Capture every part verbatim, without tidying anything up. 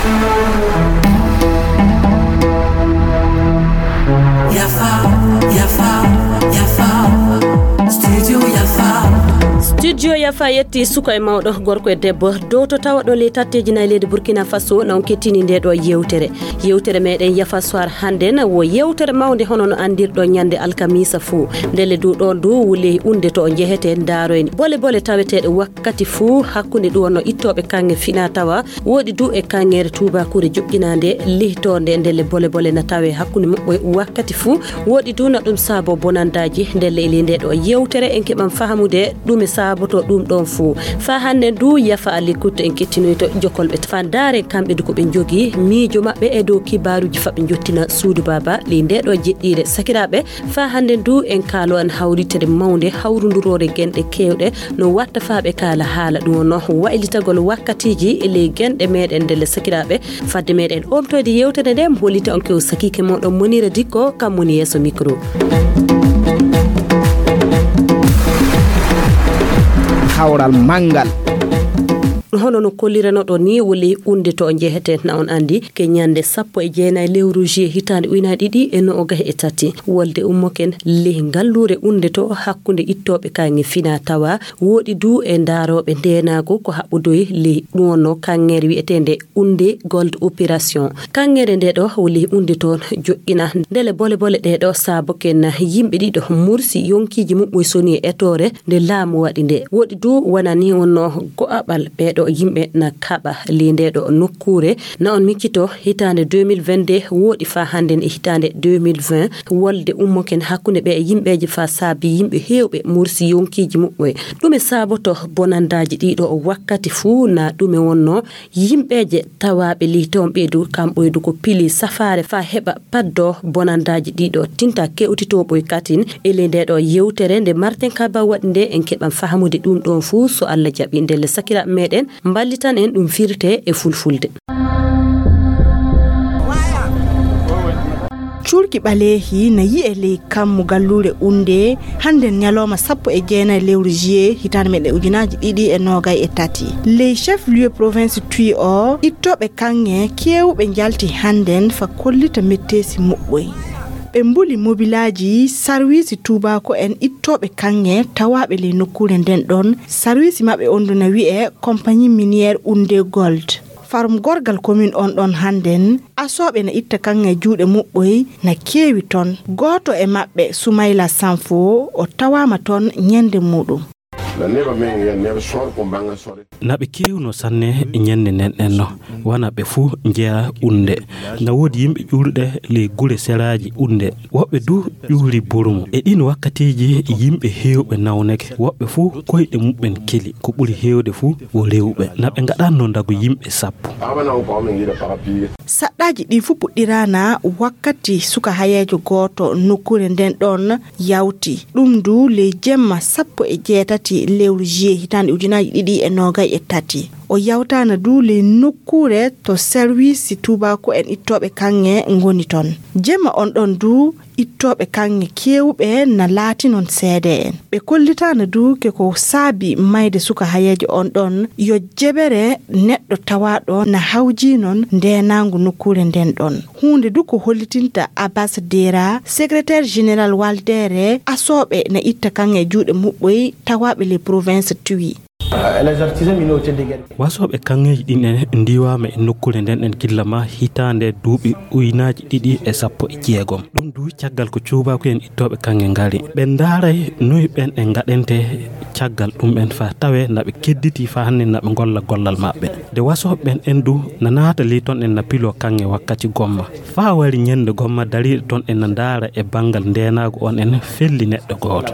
Yafa, yafa, yafa. Studio yafa. Studio yafa yetti suka e mawɗo, gorko e debbo, dow to tawa ɗo ley tatteeji nayi leydi Burkina Faso, na on kettini nde ɗo yewtere. Yewtere meɗen yafa soir hannde na wo yewtere mawnde hono no anndirɗo ñande alkamisa fuu. Ndelle du ɗon du wuli unde to o njehete ndaaroyni bole bole taweteeɗe wakkati fuu hakkunde ɗu wonno ittooɓe kaŋŋe fina tawa. Woɗi du e kaŋŋeere tuubaakuure joƴƴinaande lihtoonde ndelle bole bole na tawe hakkunde muɓɓoy wakkati fuu. Woɗi du na ɗum saabo bonandaaji ndelle e ley nde ɗo yewtere en keɓan fahamude ɗume saaboto ɗum ɗon fuu. Faa hannde du yafa a likkutte en kettinoyto jokolɓe fandaare kamɓe du ko ɓe njogi miijo maɓɓe e dow kibaaruuji faɓɓe njottina suudu baaba ley nde ɗo jeɗɗiire sakiraaɓe. Faa hannde ndu en kaalo an hawritere mawnde hawrunduroore genɗe keewɗe no watta faa ɓe kaala haala ɗum wonno waylitagol wakkatiiji e ley genɗe meɗen ndelle sakiraaɓe. Fadde meɗen omtoyde yewtere nde mo hollita on kew sakiike moɗon Monira Dikko kam woni yeeso micro. Hawral manngal. Hono no kolliranoɗon ni wuli unde to o njehete na on anndi ke ñande sappo e jeenayi lewru juillet hitaande ujunaaji ɗiɗi e noogay e tati. Wolde ummoken ley ngalluure unde to hakkunde ittooɓe kaŋŋe fina tawa woɗi du e ndaarooɓe ndeenaagu ko haɓɓudoyi ley ɗum wonno kaŋŋeere wi'eteende unde gold opération. Kaŋŋeere nde ɗo wuli unde toon joƴƴina ndele bole bole ɗe ɗo saaboken yimɓe ɗiɗo mursi yonkiiji muɓɓoy soni e etoore nde laamu waɗi nde. Woɗi du wonani wonno go'aɓal ɓeeɗo yimɓe na kaɓa ley nde ɗo nokkuure. Na on miccito hitaande deux mille vingt-deux woɗi faa hannde e hitaande deux mille vingt wolde ummoken hakkunde ɓe e yimɓeeje faa saabi yimɓe heewɓe mursi yonkiiji muɓɓoy. Ɗume saaboto bonandaaji ɗiɗo wakkati fuu na ɗume wonno yimɓeeje tawaaɓe ley toon ɓeydu kamɓoydu ko pili safaare faa heɓa paddo bonandaaji ɗiɗo tinta kewtitooɓoy katin. E ley nde ɗo yewtere nde Martin Kaba waɗi nde en keɓan fahamude ɗum ɗon fuu so Allah jaɓi ndelle sakiraaɓe meɗen mballitan en ɗum firte e fulfulde. Cuurki ɓaleehi na yi'e ley kammu galluure unde hannden ñalooma sappo e jeenayi lewru juillet hitaande meɗen ujunaaji ɗiɗi e noogay e tati. Ley chef lieu province Twi o ittooɓe kaŋŋe keewuɓe njalti hannden fa kollita metteesi muɓɓoy. Ɓe mbuli mobilaaji sarwiisi tuubaako en ittooɓe kaŋŋe tawaaɓe ley nokkuure nden ɗon. Sarwiisi maɓɓe on du na wi'e compagnie minière Unde Gold. Farum gorgal commune on ɗon hannden asooɓe na itta kaŋŋe juuɗe muɓɓoy na keewi ton. Gooto e maɓɓe Sumayla Sanfo o tawaama ton ñande muuɗum. Na never men here never short ko mbanga sore. Na ɓe keewno sanne e ñande nden ɗen no wana ɓe fuu njeya unde. Na woodi yimɓe ƴuuruɗe ley gure seraaji unde woɓɓe du ƴuuri borumo e ɗin wakkatiiji yimɓe heewɓe nawneke woɓɓe fuu koyɗe muɓɓen keli ko ɓuri heewde fuu wo rewɓe na ɓe ngaɗanno ndagu yimɓe sappo. Abana on ko amin yiɗa para piye. Saɗɗaaji ɗi fuu puɗɗiraana wakkati suka hayeejo gooto nokkuure nden ɗon yawti ɗum du ley jemma sappo e jeetati lewru juillet hitaande ujunaaji ɗiɗi e noogay e tati. O yawtaana du ley nokkuure to service tuubaaku en ittooɓe kaŋŋe ngoni ton. Jemma on ɗon du ittooɓe kaŋŋe keewuɓe na laatinon seede'en. Ɓe kollitaana du ke ko saabi mayde suka hayeejo on ɗon yo jebere neɗɗo tawaaɗo na hawjinon ndeenaangu nokkuure nden ɗon. Huunde du ko hollitinta Abbas Dera, secrétaire général waldere asooɓe na itta kaŋŋe juuɗe muɓɓoy tawaaɓe les provinces Twi. Wasooɓe kaŋŋeeji ɗin en ndiwaama e nokkuure nden en gilla ma hitaande duuɓi ujunaaji ɗiɗi e sappo e jeegom. Ɗum du caggal ko cuubaaku en ittooɓe kaŋŋe ngari. Ɓe ndaaray noy ɓen en ngaɗente caggal ɗum en faa tawee na ɓe kedditi faa hannde na ɓe ngolla gollal maɓɓe. Nde wasooɓe ɓen en du na naata ley ton en na piloo kaŋŋe wakkati gomma. Faa wari ñannde gomma dariiɗo ton en na ndaara e banngal ndeenaagu on en felli neɗɗo gooto.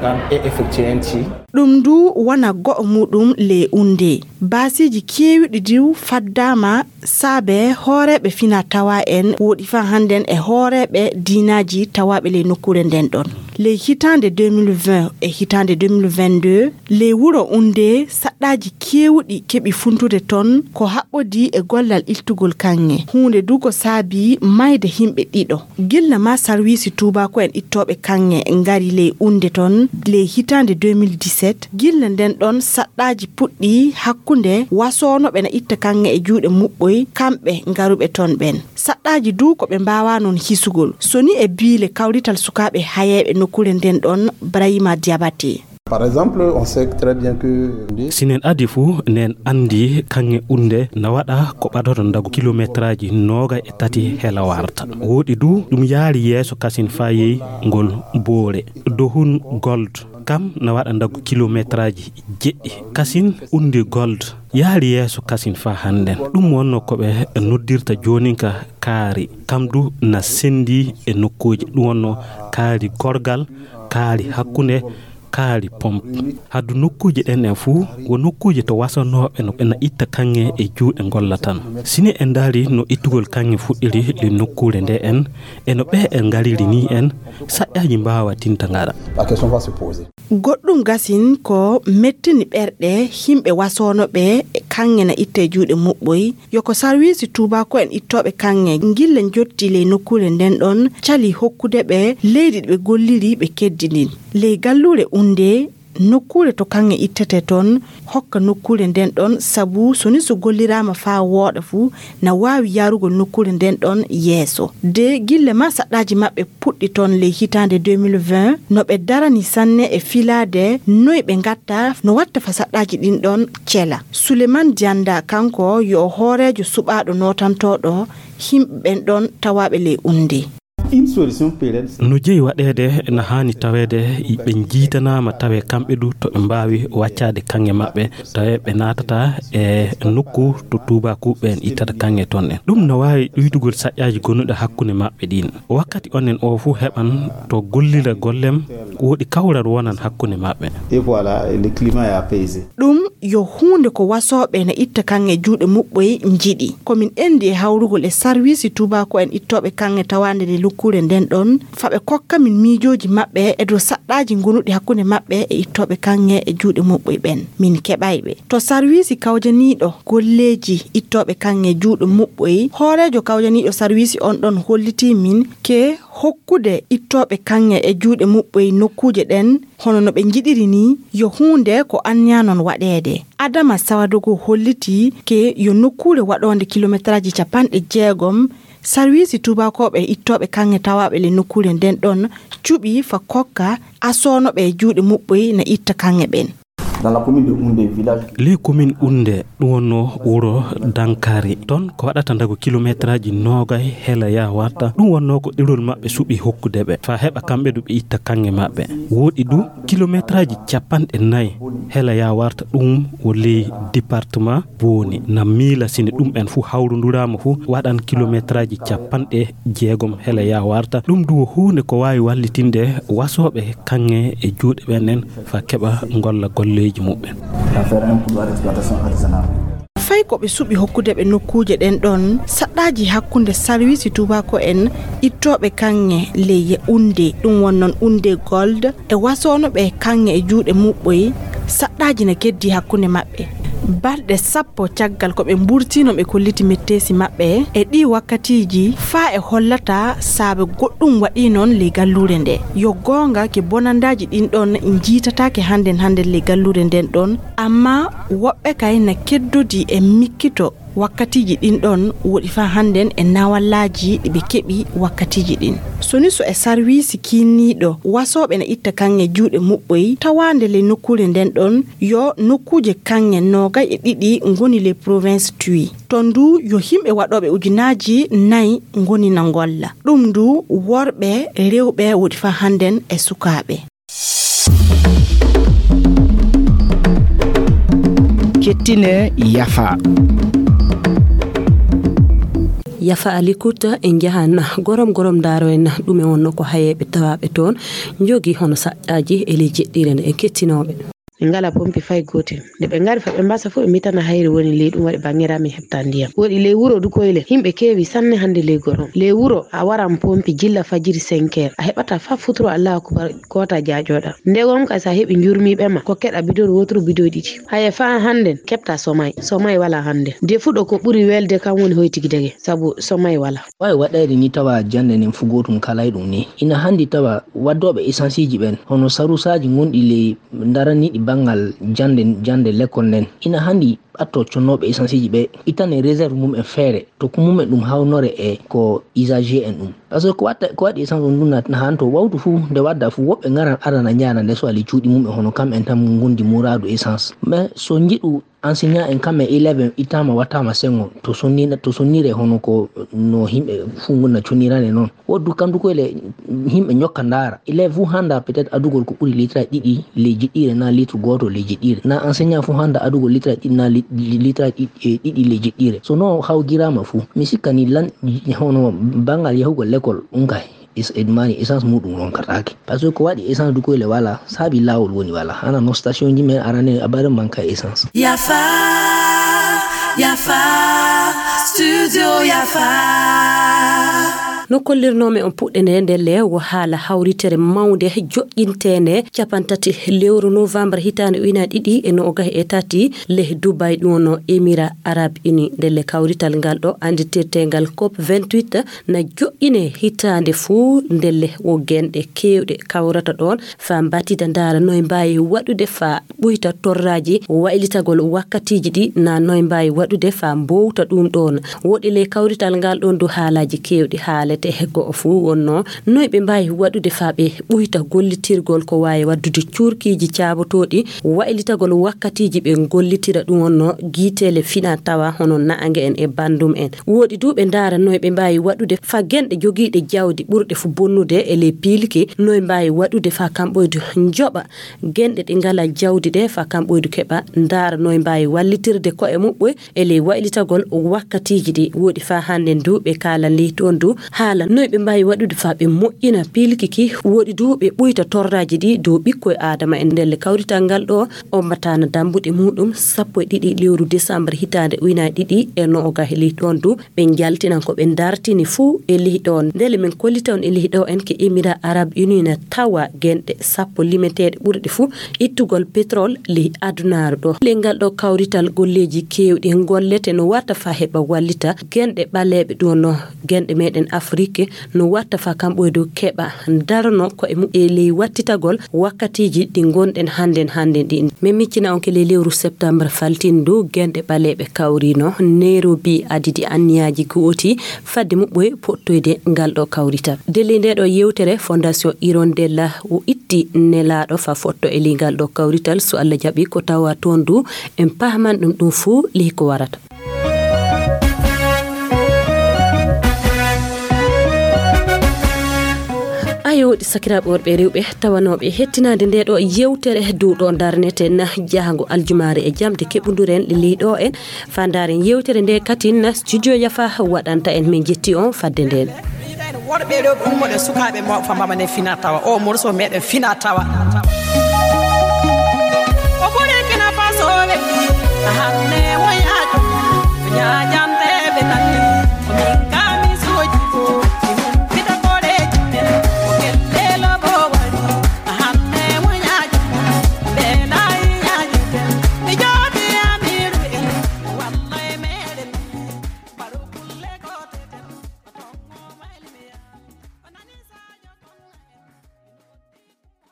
Ɗum du wona go'o muuɗum ley Unde. Baasiiji keewuɗi du faddaama saabe hooreeɓe fina tawa en woɗi faa hannden e hooreeɓe diinaaji tawaaɓe ley nokkuure nden ɗon. Ley hitaande deux mille vingt e hitaande deux mille vingt-deux, ley wuro Undee, saɗɗaaji keewuɗi keɓi funtude toon ko haɓɓodii e gollal ittugol kaŋŋe. Huunde du ko saabii maayde yimɓe ɗiɗo. Gilla maa sarwiisi tuubaako'en ittooɓe kaŋŋe ngari ley Undee toon ley hitaande deux mille dix-sept, gilla ndeen ɗoon saɗɗaaji puɗɗii hakkunde wasoonooɓe na itta kaŋŋe e juuɗe muɓɓoy, kamɓe ngaruɓe toon ɓeen. Saɗɗaaji du ko ɓe mbaawaa noon hisugol. So ni e biile kawrital sukaaɓe hayeeɓe nokkuure ndeen ɗoon, Brahima Diabaté. Par exemple, on sait très bien que... Sinen adi fuu, nen anndi kaŋŋe Undee na waɗa ko ɓadata ndagu kilometraaji noogay e tati hela warta. Wooɗi du, ɗum yaari yeeso kasin faa yehi ngol Boore. Dohun Gold kam na waɗa ndagu kilometraaji jeɗɗi. Kasin Undee Gold yaari yeeso kasin faa hannden. Ɗum wonnoo ko ɓe noddirta jooninka kaari. Kam du na senndi e nokkuuje. Ɗum wonnoo kaari gorgal, kaari hakkunde, kaari pompe. Haddu nokkuuje ɗen en fuu, wo nokkuuje to wasanooɓe no ɓe na itta kaŋŋe e juuɗe ngolla tan. Si ni en ndaari no ittugol kaŋŋe fuɗɗiri ley nokkuure nde en, e no ɓe en ngariri ni en, saƴƴaaji mbaawa tinta ngara. La question va se poser. Goɗɗum gasin ko mettini ɓerɗe yimɓe wasoonooɓe kaŋŋe na itta e juuɗe muɓɓoy. Yo ko sarwiisi tuubaako'en ittooɓe kaŋŋe ngille njottii ley nokkuure nden ɗon, cali hokkude ɓe leydi ɗi ɓe golliri, ɓe keddi ndin. Ley galluure Undee, nokkuure to kaŋŋe ittetee ton, hokka nokkuure nden ɗon, sabu so ni so golliraama faa wooɗa fu, na waawi yaarugol nokkuure nden ɗon yeeso. De gille maa saɗɗaaji maɓɓe puɗɗi ton ley hitaande deux mille vingt, no ɓe darani sanne e filaade noy ɓe ngatta, no watta fa saɗɗaaji ɗin ɗon cela. Suleman Dianda, kanko yo hooreejo suɓaaɗo nootantooɗo yimɓe ɓen ɗon tawaaɓe ley Undee. Une solution pérenne. No jeyi waɗeede, na haani taweede ɓe njiitanaama, tawee kamɓe du to ɓe mbaawi waccaade kaŋŋe maɓɓe, tawee ɓe naatata e nokku to tuubaakuuɓe ɓen ittata kaŋŋe ton en. Ɗum na waawi ɗuydugol saƴƴaaji gonuɗi hakkunde maɓɓe ɗin. Wakkati onen oo fuu heɓan to gollira gollem, woɗi kawral wonan hakkunde maɓɓe. Et voilà, le climat est apaisé. Ɗum yo huunde ko wasooɓe na itta kaŋŋe juuɗe muɓɓoy njiɗi. Ko min enndi e hawrugol e sarwiisi tuubaako'en ittooɓe kaŋŋe tawaande nde nokkuure nden ɗon, fa ɓe kokka min miijooji maɓɓe e dow saɗɗaaji gonuɗi hakkunde maɓɓe e ittooɓe kaŋŋe e juuɗe muɓɓoy ɓen. Min keɓay ɓe. To sarwiisi kawjaniiɗo golleeji ittooɓe kaŋŋe juuɗe muɓɓoy, hooreejo kawjaniiɗo sarwiisi on ɗon hollitii min ke hokkude ittooɓe kaŋŋe e juuɗe muɓɓoy nokkuuje ɗen, hono no ɓe njiɗiri nii, yo huunde ko anniya non waɗeede. Adama Sawadogo hollitii ke yo nokkuure waɗoonde kilometraaji capanɗe jeegom, sarwiisi tuubaakooɓe ittooɓe kaŋŋe tawaaɓe le nokkuure nden ɗon cuɓi fa kokka asoonoɓe e juuɗe muɓɓoy na itta kaŋŋe ɓen. Dans la commune de Oundé, village. Ley commune Oundé, ɗum wonno wuro Dankari. Toon ko waɗata ndago kilometraaji noogay hela yaa warta. Ɗum wonno ko ɗerol maɓɓe suɓi hokkude ɓe, faa heɓa kamɓe du ɓe itta kaŋŋe maɓɓe. Woɗi du kilometraaji capanɗe nayi hela yaa warta, ɗum wo ley département Booni. Na miila sine ɗum en fuu hawrunduraama fuu waɗan kilometraaji capanɗe jeegom hela yaa warta. Ɗum du wo huunde ko waawi wallitinde wasooɓe kaŋŋe e juuɗe ɓen en faa keɓa ngolla golleeji muɓɓen. Fay ko ɓe suɓi hokkude ɓe nokkuuje ɗen ɗon, saɗɗaaji hakkunde sarwiisi tuubaako en ittooɓe kaŋŋe ley Oundé, ɗum won non Oundé Gold, e wasoonoɓe kaŋŋe e juuɗe muɓɓoy, saɗɗaaji na keddii hakkunde maɓɓe. Balɗe sappo caggal ko ɓe mburtiino ɓe kolliti metteesi maɓɓe e ɗii wakkatiiji, faa e hollata saabe goɗɗum waɗii non ley galluure nde. Yo goonga ke bonandaaji ɗin ɗon njiitataake hannden hannden ley galluure nden ɗon, ammaa woɓɓe kay na keddodii e mikkito wakkatiiji ɗin ɗon woɗi faa hannden e nawallaaji ɗi ɓe keɓi wakkatiiji ɗin. So ni so e sarwiisi kiinniiɗo wasooɓe na itta kaŋŋe juuɗe muɓɓoy tawaande ley nokkuure nden ɗon, yo nokkuuje kaŋŋe noogay e ɗiɗi ngoni ley province Twi. Ton du yo yimɓe waɗooɓe ujunaaji nayi ngoni na ngolla. Ɗum du worɓe, rewɓe woɗi faa hannden e sukaaɓe. Kettine yafa. Yafa Alikuta en njahan gorom gorom ndaaro en ɗume wonno ko hayeeɓe tawaaɓe toon njogi hono saƴƴaaji e ley jeɗɗiire nde en kettinooɓe. Ɓe ngalaa pompi fay gootel. Nde ɓe ngari fa ɓe mbasa fof, ɓe mbitana hayre woni ley ɗum waɗi banngere amin heɓta ndiyam. Woɗi ley wuro Dukoyle, yimɓe keewi sanne hannde ley gorom. Ley wuro a waran pompi jilla fajiri cinq heures. A heɓata fa futuro Allahu akubar koota jaaƴoɗa. Nde gom kay sa heɓi njurmiiɓe ma, ko keɗa bidon wotoro bidon ɗiɗi. Haya fa hannde keɓta somay. Somay wala hannde. Defuɗo ko ɓuri welde kam woni hoytigi dege, sabu somay wala. Wawi waɗayde ni tawa jannde nden fu gootum kalay ɗum ni. Ina handi tawa waddooɓe esansiiji ɓen, hono sarusaaji gonɗi ley ndaraniiɗi banngal jannde, jannde lekkol nden. Ina handi ɓatto connooɓe esansiiji ɓe, ittane réserve mum en feere, to ko mum en ɗum hawnore e ko usager en ɗum. Parce que ko watta, ko waɗi essence on ɗum na, na hanto wawtu fu, nde wadda fu, woɓɓe ngaran arana njaana nde so ali cuuɗi mum en hono kam en tan ngondi muraadu essence. Mais so njiɗu enseignant en kam e élève en ittama wattama sengo to sonnina, to sonnire hono ko no yimɓe fu gonna connirane noon. Woddu kandu ko ele yimɓe ñokka ndaara. Élève fu handa peut-être adugol ko ɓuri litre ɗiɗi ley jiɗɗire na litre gooto ley jiɗɗire. Na enseignant fu handa adugol litre ɗiɗi na li-, litre ɗiɗi, e, ɗiɗi ley jiɗɗire. So no hawgirama fu, mi sikka ni lan hono bangal yahugol l'école ɗum kay. Is-, e ɗum mani essence muɗum ronkataake. Parce que ko waɗi essence du koyle wala, saabi laawol woni wala. Hana no station ji men arane abare manka essence. Yafa, yafa, studio yafa. No kollirnoomi on puɗɗe nde ndelle wo haala hawritere mawnde joƴƴinteende capantati lewru novembre hitaande ujunaaji ɗiɗi e noogay e tati leh Dubai, ɗum wonno Émirats Arabes Unis. Ndelle kawrital ngal ɗo annditirteengal cop vingt-huit na joƴƴine hitaande fuu. Ndelle wo genɗe keewɗe kawrata ɗoon faa mbatida ndaara noy mbaawi waɗude faa ɓuyta torraaji waylitagol wakkatiiji ɗi na noy mbaawi waɗude faa mbowta ɗum ɗoon. Woɗi ley kawrital ngal ɗoon du haalaaji keewɗi haalete, he go'o fuu wonno noy ɓe mbaawi waɗude faa ɓe ɓuyta gollitirgol ko waawi waddude cuurkiiji caabotooɗi waylitagol wakkatiiji ɓe gollitira ɗum wonno giiteele fina tawa hono naange en e banndum en. Woɗi du ɓe ndaara noy ɓe mbaawi waɗude faa genɗe jogiiɗe jawdi ɓurɗe fuu bonnude e ley piilki noy mbaawi waɗude faa kamɓoydu njoɓa genɗe ɗe ngalaa jawdi ɗe faa kamɓoydu keɓa ndaara noy mbaawi wallitirde ko'e muɓɓoy e ley waylitagol wakkatiiji ɗi. Woɗi faa hannde du ɓe kaalan ley toon du haala noy ɓe mbaawi waɗude faa ɓe moƴƴina piilki ki. Woɗi du ɓe ɓuyta torraaji ɗi dow ɓikkoy Aadama en. Ndelle kawrital ngal ɗo ombataana dambuɗe muɗum sappo e ɗiɗi lewru décembre hitaande ujunaaji ɗiɗi e noogay. Ley ɗoon du ɓe njaltinan ko ɓe dartini fuu e ley ɗoon. Ndelle min kollita on e ley ɗo en ke Émirats Arabes Unis na tawa genɗe sappo limeteeɗe ɓurɗe fuu ittugol pétrole ley adunaaru ɗo. Ley ngal ɗo kawrital golleeji keewɗi gollete no warta faa heɓa wallita genɗe ɓaleeɓe ɗum no genɗe meɗen Afrique no warta faa kamɓoydu keɓa darano ko'e mum e ley wattitagol wakkatiiji ɗi ngonɗen hannden hannden ɗin. Min miccina on ke ley lewru septembre faltindu genɗe ɓaleeɓe kawrino Nairobi adidi anniyaaji gooti fadde muɓɓoy pottoyde ngal ɗo kawrital. Ndelle nde ɗo yewtere Fondation Hirondella o itti nelaaɗo faa fotto e ley ngal ɗo kawrital. So Allah jaɓi ko tawa toon du en pahman ɗum ɗum fuu ley ko warata. Ayo, ɗi sakiraaɓe worɓe e rewɓe tawanooɓe hettinaade nde ɗo yewtere duuɗo darneten jahango aljumaare e jamde keɓunduren ley ɗo en. Faa ndaaren yewtere nde katin studio Yafa waɗanta en. Min jetti on fadde nden. Worɓe ɗo ummoɗe sukaaɓe mawɓe fa mbamane fina tawa. O morso meɗen fina tawa.